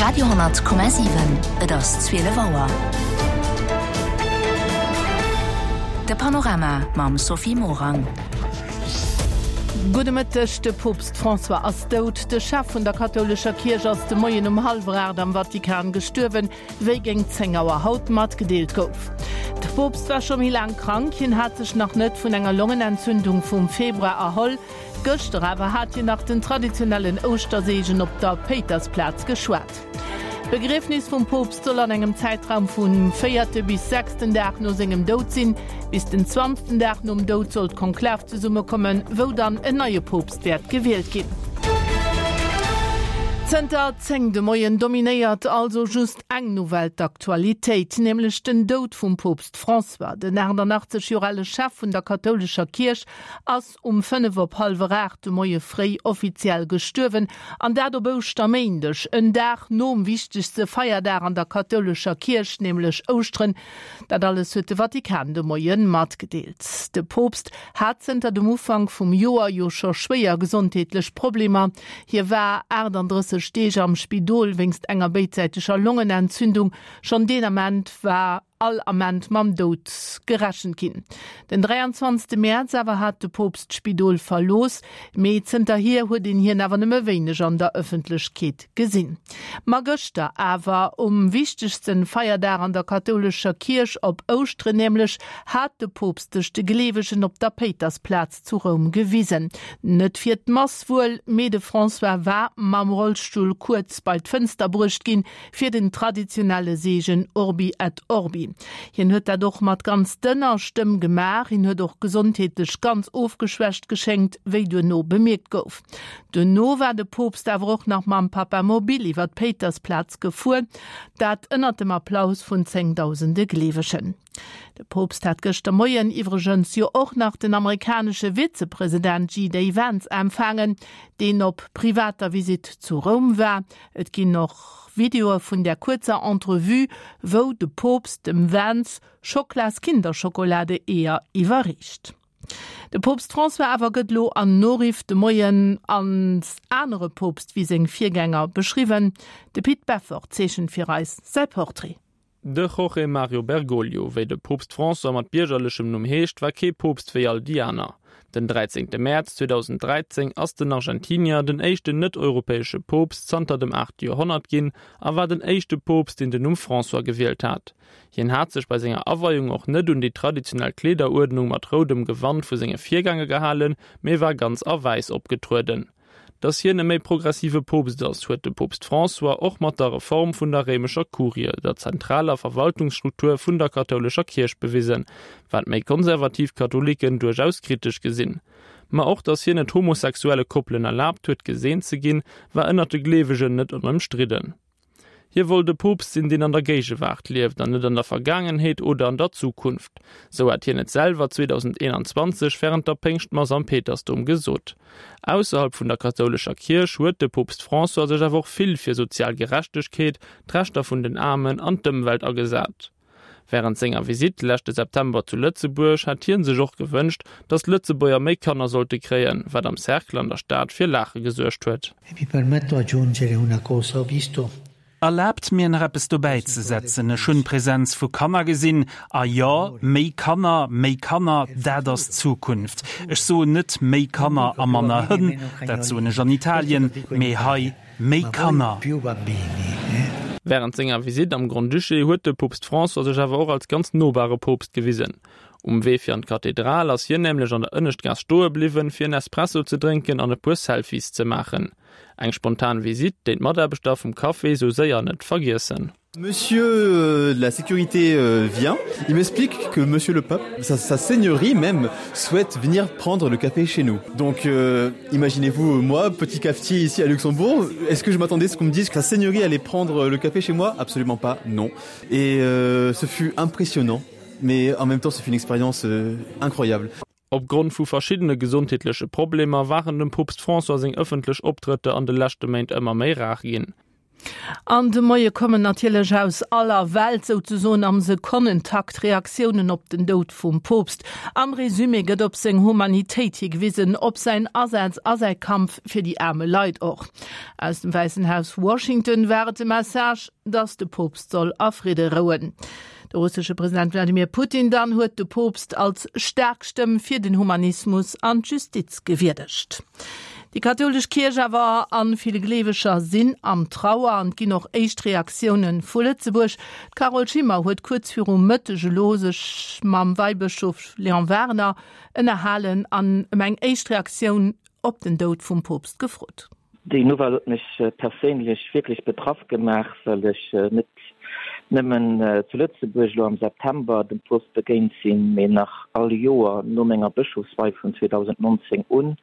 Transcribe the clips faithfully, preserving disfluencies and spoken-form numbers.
Radio honnert Komma siwen, Et ass zwielef Auer. De Panorama mam Sophie Morang. Gudde Mëtteg, De Poopst François ass dout. De Chef vun der kathoulescher Kierch ass de Moien um hallwer aacht am Vatikan gestuerwen, wéi géint zéng Auer haut matgedeelt gouf. De Poopst war scho méi laang krank, hien hat sech nach net vun enger Longenentzündung vum Februar erholl. Gëschter awer hat hien nach den traditionellen Ouschterseegen op der Péitersplaz geschwat. D'Begriefnis vum Poopst soll an engem Zäitraum vum véierte bis sechsten Dag no sengem Doud sinn. Bis den zwanzten Dag nom Doud soll d'Konklav zesummekommen, wou dann en neie Poopst wäert gewielt ginn. Zënter zéng de Moien dominéiert also just eng Nouvelle d'Aktualitéit, nämlech den Doud vum Poopst François. Den achtannachtzeg Joer ale Chef vun der kathoulescher Kierch ass um fënnef op hallwer aacht de Moie fréi offiziell gestuerwen, an dat op Ouschterméindeg, en Dag nom wichtegste Feierdag an der kathoulescher Kierch, nämlech Ouschteren. Dat alles huet de Vatikan de Moie matgedeelt. De Poopst hat zënter dem Ufank vum Joer jo scho schwéier gesondheetlech Problemer. Hie war achtandrësseg Deeg am Spidol wéinst enger béidsäiteger Longenentzündung. Schonn deen Ament war all Ament mam Doud gerechent ginn. Den dräianzwanzegste Mäerz awer hat de Poopst d'Spidol verlooss, mee zënterhier huet een hien awer nëmme wéineg an der Ëffentlechkeet gesinn. Ma gëschter awer, um wichtegste Feierdag an der kathoulescher Kierch, op Ouschteren nämlech, hat de Poopst sech de Gleewegen op der Péitersplaz zu Roum gewisen. Net fir d'Mass wuel, mee de François war mam Rollstull kuerz bei d'Fënster bruecht ginn, fir den traditionelle Seegen Urbi et Orbi. Hien huet dat och mat ganz dënner Stëmm gemaach. Hien huet och gesondheetlech ganz ofgeschwächt geschéngt, wéi duerno bemierkt gouf. Duerno war de Poopst awer och nach mam Papamobil iwwer d'Péitersplaz gefuer, dat ënnert dem Applaus vun zéngdausende Gleewegen. De Poopst hat gëschter Moien iwwregens jo och nach den amerikanesche Vizepresident J D Vance empfaangen, deen op privater Visitt zu Roum war. Et ginn och Videoe vun där kuerzer Entrevue, wou de Poopst dem Vance Schoklas Kinderschokolade-Eeër iwwerreecht. De Poopst François awer gëtt lo an Noriff de Moien als anere Poopst wéi seng Virgänger beschriwwen. De Pit Beffort zeechent fir eis säi Portrait. De Jorge Mario Bergoglio, wéi de Poopst François mat biergerlechem Numm heescht, war kee Poopst wéi all déi aner. Den dräizéngte Mäerz zweedausenddräizéng ass den Argentinier den éischten net-europäesche Poopst zanter dem aachte Joerhonnert ginn a war den éischte Poopst, deen den Numm François gewielt hat. Hien hat sech bei senger Aweiung och net un déi traditionell Kleederuerdnung mat roudem Gewand vu senge Virgänger gehalen, mee war ganz a wäiss opgetrueden. Datt hien e méi progressive Poopst ass, huet de Poopst François och mat der Reform vun der réimescher Kurie, der zentraler Verwaltungsstruktur vun der kathoulescher Kierch bewisen, wat méi konservativ Katholiken duerchaus kritesch gesinn. Ma och datt hien et homosexuelle Koppelen erlaabt huet, geseent ze ginn, war ënnert de Gleewegen net onëmstridden. Hie wollt e Poopst sinn, deen an der Géigewaart lieft an net an der Vergaangenheet oder an der Zukunft. Sou hat hien et selwer zweedausendeenanzwanzeg wärend der Péngschtmass am Petersdom gesot. Ausserhalb vun der kathoulescher Kierch huet de Poopst François sech awer och vill fir sozial Gerechtegkeet, d'Rechter vun den Aarmen an d'Ëmwelt agesat. Wärend senger Visitt leschte September zu Lëtzebuerg hat hie sech och gewënscht, datt d'Lëtzebuerger méi Kanner sollte kréien, wat am Cercle an der Stad fir Laache gesuergt huet. E mi permetto aggiungere una cosa, ho visto Erlaabt mir nach eppes dobäi ze setzen, Ech hunn d'Presenz vu Kanner gesinn, a jo, méi Kanner, méi Kanner, dat ass d'Zukunft. Ech soen net méi Kanner a manner Hënn, dat soen ech an Italien, mee hei méi Kanner. Wärend senger Visitt am Grand-Duché huet de Poopst François sech awer och als ganz nobare Poopst gewisen. Um Wee fir an d'Kathedral ass hien nämlech an der Ënneschtgaass stoe bliwwen, fir en Espresso ze drénken an e puer Selfies ze maachen. Eng spontan Visitt, déi d'Mataarbechter vum Café sou séier net vergiessen. Monsieur de la sécurité vient, il m'explique que monsieur le pape, sa, sa seigneurie même, souhaite venir prendre le café chez nous. Donc euh, imaginez-vous moi, petit cafetier ici à Luxembourg, est-ce que je m'attendais à ce qu'on me dise que sa seigneurie allait prendre le café chez moi? Absolument pas, non. Et euh, ce fut impressionnant, mais en même temps ce fut une expérience euh, incroyable. Opgrond vu verschiddene gesondheetleche Problemer waren dem Poopst François seng ëffentlech Optrëtter an de leschte Méint ëmmer méi rar ginn. An de Moie kommen natierlech aus aller Welt souzesoen am Sekonnentakt Reaktiounen op den Doud vum Poopst. Am Resumé gëtt op seng Humanitéit higewisen, op säin Asaz a säi Kampf fir déi aarme Leit och. Aus dem Wäissen Haus Washington war et de Message, dass de Poopst soll a Fridde rouen. De russesche President Wladimir Putin dann huet de Poopst als staark Stëmm fir den Humanismus an d'Justiz gewierdegt. Déi kathoulesch Kierch awer an vill Gleeweger sinn am Trauer an et ginn och éischt Reaktioune vu Lëtzebuerg. D'Carole Schimmer huet kuerz viru Mëtteg elo sech mam Weibëschof Léon Werner ënnerhalen an ëm eng éischt Reaktioun op den Doud vum Poopst gefrot. Déi Nouvelle huet mech perséinlech wierklech betraff gemaach, well ech net nëmmen zu Lëtzebuerg elo am September dem Poopst begéint sinn, mee nach all Joer no menger Bëschofswei vun zweedausendnonzéng un.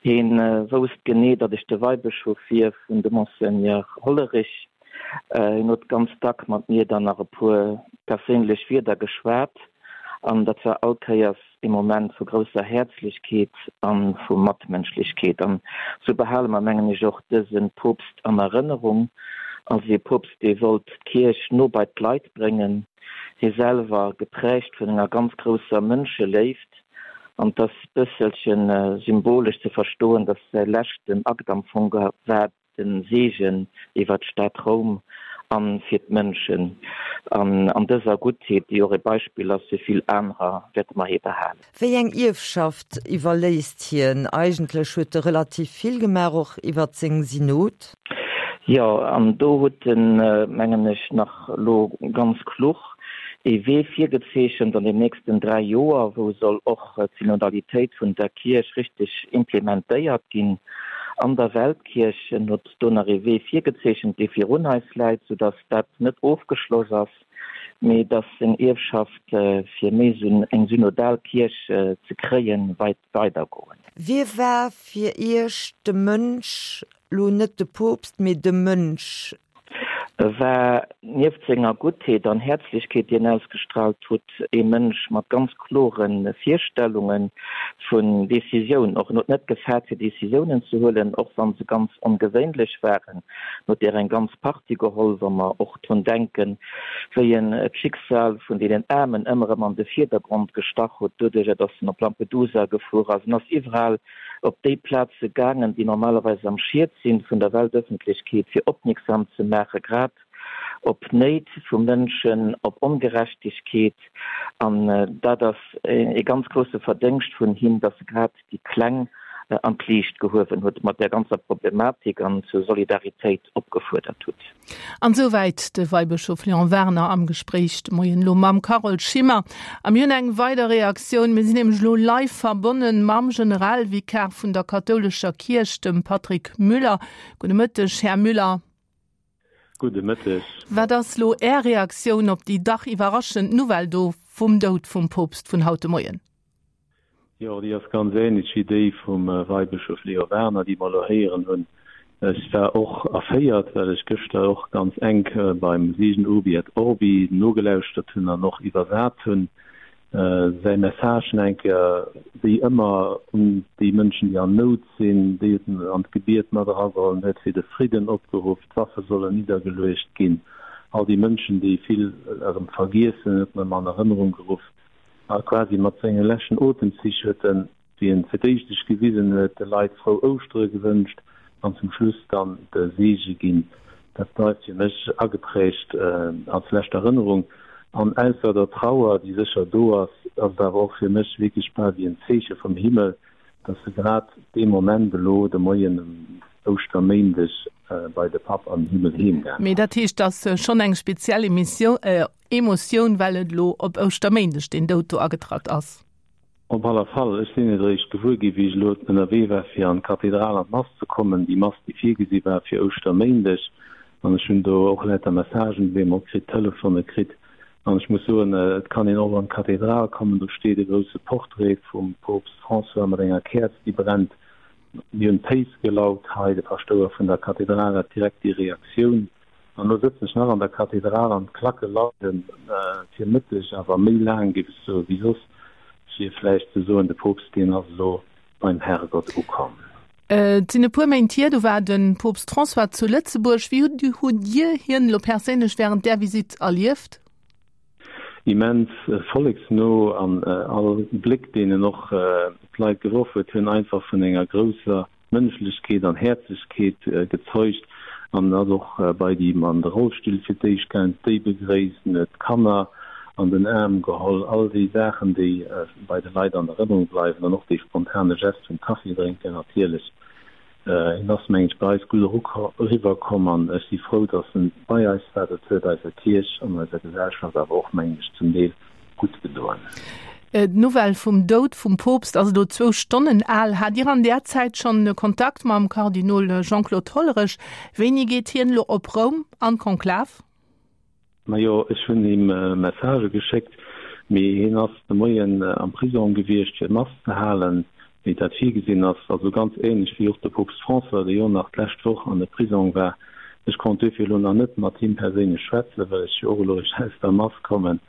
Hien wousst genee, datt ech de Weibëschof wier vun de Monseigneur Hollerich. Hien huet ganz dack mat mir dann nach e puer perséinlech Wierder geschwat, an dat war all Kéiers ee Moment vu grousser Häerzlechkeet a vu Matmënschlechkeet. An esou behale mer, mengen ech, och dëse Poopst an Erënnerung als ee Poopst, dee wollt d'Kierch no bei d'Leit bréngen, hie selwer geprägt vun enger ganz grousser Mënscheléift. An et ass bësselche symbolesch ze verstoen, datt säi leschten Akt am Fong war de Seegen iwwer d'Stad Roum a fir d'Mënschen. An an dëser Guttheet, déi och e Beispill ass fir vill anerer, wäerte mer hie behalen. Wéi eng Ierfschaft iwwerléisst hien? Eigentlech huet e relativ vill gemaach, och iwwer seng Synod. Jo, an do huet en, mengen ech, nach elo ganz kluch ee Wee virgezeechent an den nächsten dräi Joer, wou soll och d'Synodalitéit vun der Kierch richteg implementéiert ginn an der Weltkierch. En huet do nach ee Wee virgezeechent, dee virun eis läit, soudass dat net ofgeschloss ass, mee dass seng Ierfschaft, fir méi eng synodal Kierch ze kréien, weit weidergoen. Wie war fir Iech de Mënsch, lo net de Poopst, mee de Mënsch? E war nieft senger Guttheet an Häerzlechkeet, déi en ausgestraalt hutt, ee Mënsch mat ganz klore Virstellunge vun Decisioun. Och en huet net gefaart fir Decisiounen ze huelen, och wa se ganz ongewéinlech waren. En huet der eng ganz Partie geholl, wa mer och drun denken, wéi en d'Schicksal vun deenen Aarmen ëmmer erëm an de Virdergrond gestach huet, doduerjer datt en op Lampedusa gefuer ass. En ass iwwerall op déi Plaze gaangen, déi normalerweis am Schiet sinn vun der Weltëffentlechkeet, fir opmierksam ze maache grad op Néit vu Mënschen, op Ongerechtegkeet. An dat ass e ganz grousse Verdéngscht vun him, datt e grad déi Kleng an d'Liicht gehuewen huet mat där ganzer Problematik an zur Solidaritéit opgefuerdert huet. An esouwäit de Weibëschof Léon Werner am Gespréich de Moien elo mam Carole Schimmer. A mir hunn eng weider Reaktioun. Mir sinn nämlech elo live verbonne mam Generalvikar vun der kathoulescher Kierch, dem Patrick Müller. Gudde Mëtteg, Här Müller. Gudde Mëtteg. Wat ass elo Är Reaktioun op déi dach iwwerraschend Nouvelle do vum Doud vum Poopst vun haut de Moien? Jo, déi ass ganz ähnlech wéi déi vum Weibëschof Leo Werner, déi mer elo héieren hunn. Ech war och erféiert, well ech gëschter och ganz enk beim Seegen Urbi et Orbi nogelauschtert hunn an och iwwersat hunn. Säi Message nach eng Kéier, wéi ëmmer, un déi Mënschen, déi an Nout sinn, déi en an d'Gebiet mat erageholl huet, fir de Fridden opgeruff, d'Waffe sollen niddergeluecht ginn, all déi Mënschen, déi vill erëm vergiessen, huet en ëm an Erënnerung geruff. A quasi mat senge leschten Otemzich huet en, wéi en fir d'éischt sech gewisen huet, de Leit frou Ouschtere gewënscht an zum Schluss dann de Seege ginn. Dat bleift fir mech ageprägt als lescht Erënnerung. An ausser der Trauer, déi sécher do ass, ass et awer och fir mech wierklech bal wéi en Zeeche vum Himmel, dass e grad dee Moment elo, de Moien um Ouschterméindeg, bei de Papp an den Himmel heem gaang Mee ass. dat heescht, et ass schonn eng speziell Emotioun, well et elo op Ouschterméindeg deen Doud do agetratt ass. Op aller Fall. Ech sinn et eréischt gewuer gi wéi ech elo ënnerwee war fir an d'Kathedral an d'Mass ze kommen, déi Mass déi virgesi war fir Ouschterméindeg. An ech hunn do och lauter Messagen op eemol kritt, Telefone kritt. An ech muss soen, et kann een och an d'Kathedral kommen, do steet e grousse Portrait vum Poopst François mat enger Käerz déi brennt. Mir hunn d'Féiss gelaut hei, de Paschtouer vun der Kathedral hat direkt déi Reaktioun. An elo sëtzen ech nach an der Kathedral an d'Klacke lauden fir Mëtteg, awer méi laang, géif ech soen, wéi soss, fir vläicht ze soen, de Poopst, deen ass elo beim Herrgott ukomm. Et sinn e puer Méint hier, do war de Poopst François zu Lëtzebuerg. Wéi hutt Dir hien elo perséinlech wärend där Visitt erlieft? Immens volleksno an all Bléck, deen en och op d'Leit geworf huet, hunn einfach vun enger grousser Mënschlechkeet an Häerzlechkeet gezeugt. An ass och bei déi an de Rollstill fir d'éischt gaang, déi begréisst, en huet d'Kanner an den Aarm geholl, all déi Saachen, déi bei de Leit an Erënnerung bleiwen an och dee spontane Gest vum Kaffi drénken natierlech. Hien ass, mengen ech, bei eis gutt eriwwer komm an ech si frou, datt en bei eis war. Dat huet eiser Kierch an eiser Gesellschaft awer och, mengen ech, zum Deel gutt gedoen. D'Nouvelle vum Doud vum Poopst ass elo zwou Stonnen al. Hat Dir an där Zäit schonn Kontakt mam Kardinol Jean-Claude Hollerech? Wéini geet hien elo op Roum an d'Konklav? Majo, ech hunn him Messagë geschéckt, mee hien ass de Moien am Prisong gewiescht fir Mass ze halen, wéi dat virgesinn ass. Also ganz änlech wéi och de Poopst François, dee jo nach d'lescht Woch an de Prisong war. Ech konnt duerfir elo nach net mat him perséinlech schwätzen, well ech jo och elo eréischt aus der Mass kommen.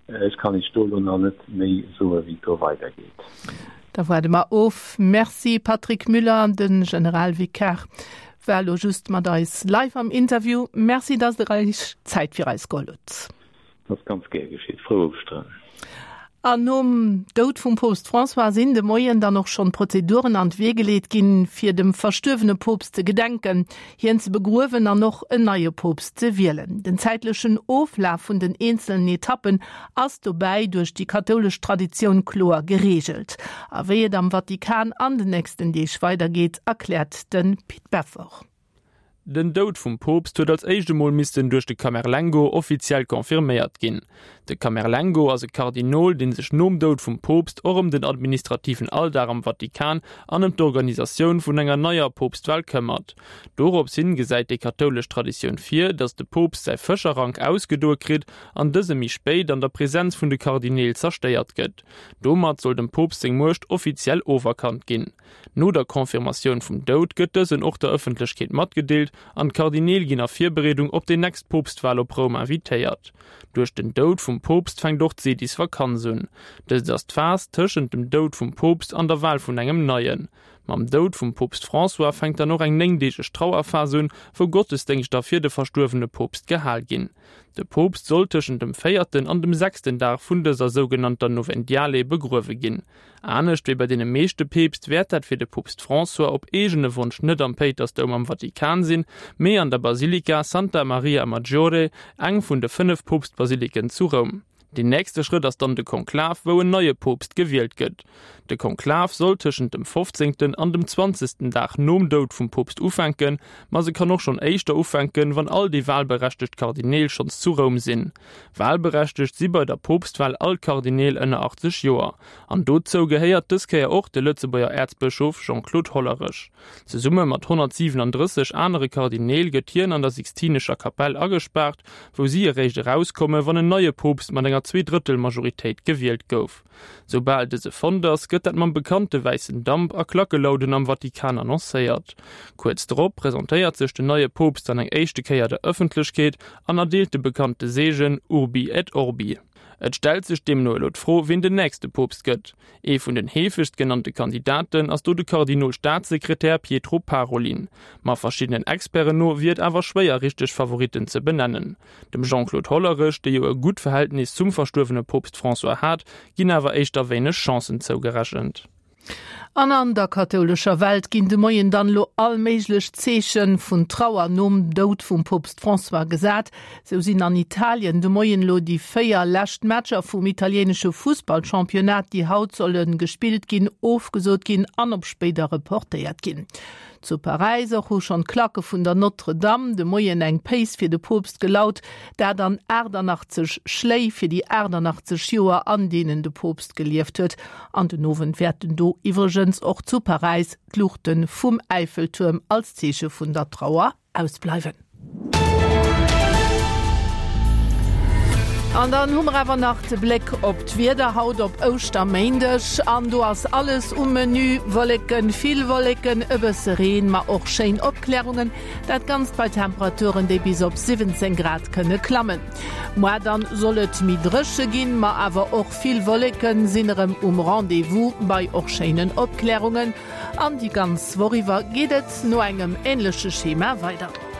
Ech kann Iech do elo nach net méi soen, wéi et do weidergeet. Da waarde mer of. Merci Patrick Müller, de Generalvikar war elo just mat eis live am Interview. Merci, dass Der Iech Zäit fir eis geholl hutt. Dat ass ganz gär geschitt. Frou Ouschteren. An nom Doud vum Poopst François sinn de Moien dann och schonn d'Prozeduren an d'Wee geleet ginn, fir dem verstuerwene Poopst ze gedenken, hien ze begruewen an och en neie Poopst ze wielen. Den zäitlechen Oflaf vun den eenzelen Etappen ass dobäi duerch déi kathoulesch Traditioun kloer gereegelt. A wéi et am Vatikan an den nächsten Deeg weidergeet, erkläert de Pit Beffort. Den Doud vum Poopst huet als éischt emol missten duerch de Camerlengo offiziell confirméiert ginn. De Camerlengo ass e Kardinol, dee sech nom Doud vum Poopst och ëm den administrativen Alldag am Vatikan an ëm d'Organisatioun vun enger neier Poopstwal këmmert. Dorops hin gesäit déi kathoulesch Traditioun vir, datt de Poopst säi Fëscherrank ausgedoe kritt an dëse méi spéit an der Presenz vun de Kardineel zerstéiert gëtt. Domat soll dem Poopst seng Muecht offiziell oferkannt ginn. No der Confirmatioun vum Doud gëtt dësen och der Ëffentlechkeet matgedeelt an d'Kardineel ginn a Virbereedung op déi nächst Poopstwal op Roum invitéiert. Duerch den Doud vum Poopst fänkt och d'Sedisvakanz un. Dëst ass d'Phas tëschent dem Doud vum Poopst an der Wal vun engem neien. Mam Doud vum Poopst François fänkt dann och eng néngdeegeg Trauerphas un, wou Gottesdéngschter fir de verstuerwene Poopst gehal ginn. De Poopst soll tëschent dem véierten an dem sechsten Dag vun dëser sougenannter Novendiale begruewe ginn. Anescht wéi bei deene meeschte Peepst wäert dat fir de Poopst François op eegene Wonsch net am Péitersdoum am Vatikan sinn, mee an der Basilika Santa Maria Maggiore, eng vun de fënnef Poopstbasiliken zu Roum. Deen nächste Schrëtt ass dann de Konklav, wou en neie Poopst gewielt gëtt. De Konklav soll tëschent dem fofzéngten an dem zwanzegsten Dag nom Doud vum Poopst ufänken, ma se kann och schonn éischter ufänken, wann all déi walberechtegt Kardineel schonns zu Roum sinn. Walberechtegt si bei der Poopstwal all Kardineel ënner achtzeg Joer. An dozou gehéiert dës Kéier och de Lëtzebuerger Äerzbëschof Jean-Claude Hollerech. Zesumme mat honnertsiwenandrësseg anere Kardineel gëtt hien an der Sixtinescher Kapell agespaart, wou si eréischt erauskommen, wann en neie Poopst mat enger Zweedrëttel-Majoritéit gewielt gouf. Soubal dëse fonnt ass, gëtt dat mam bekannte wäissen Damp a Klackelauden am Vatikan annoncéiert. Kuerz drop presentéiert sech den neie Poopst dann eng éischte Kéier der Ëffentlechkeet an erdeelt de bekannte Seegen Urbi et Orbi. Et stellt sech deemno elo d'Fro, wien den nächste Poopst gëtt. Ee vun den heefegst genannte Kandidaten ass do de Kardinol-Staatssekretär Pietro Parolin. Ma verschiddenen Experten no wier et awer schwéier richteg Favoritten ze benennen. Dem Jean-Claude Hollerech, dee jo e gutt Verhältnis zum verstuerwene Poopst François hat, ginn awer éischter wéineg Chancen zougerechent. An an der kathoulescher Welt ginn de Moien dann elo all méiglech Zeeche vun Trauer nom Doud vum Poopst François gesat. Sou sinn an Italien de Moien elo déi véier lescht Matcher vum italieenesche Fussballchampionnat, déi haut solle gespillt ginn, ofgesot ginn an op spéider reportéiert ginn. Zu Paräis och hu schonn d'Klacke vun der Notre-Dame de Moien eng Péis fir de Poopst gelaut, dat an aachtannachtzeg Schléi fir déi aachtannachtzeg Joer, an deenen de Poopst gelieft huet. An den Owend wäerten do iwwregens och zu Paräis d'Luuchte vum Äiffeltuerm als Zeeche vun der Trauer ausbleiwen. An dann hu mer awer nach de Bléck op d'Wieder haut op Ouschterméindeg an do ass alles um Menü, Wolleken, vill Wolleken, e bësse Reen, ma och schéin Opklärungen. Dat Ganzt bei Temperaturen, déi bis op siwwenzéng Grad kënne klammen. Moar dann soll et méi dréche ginn, ma awer och vill Wolleken sinn erëm um Rendez-vous bei och schéinen Opklärungen. An déi ganz Woch iwwer geet et no engem änleche Schema weider.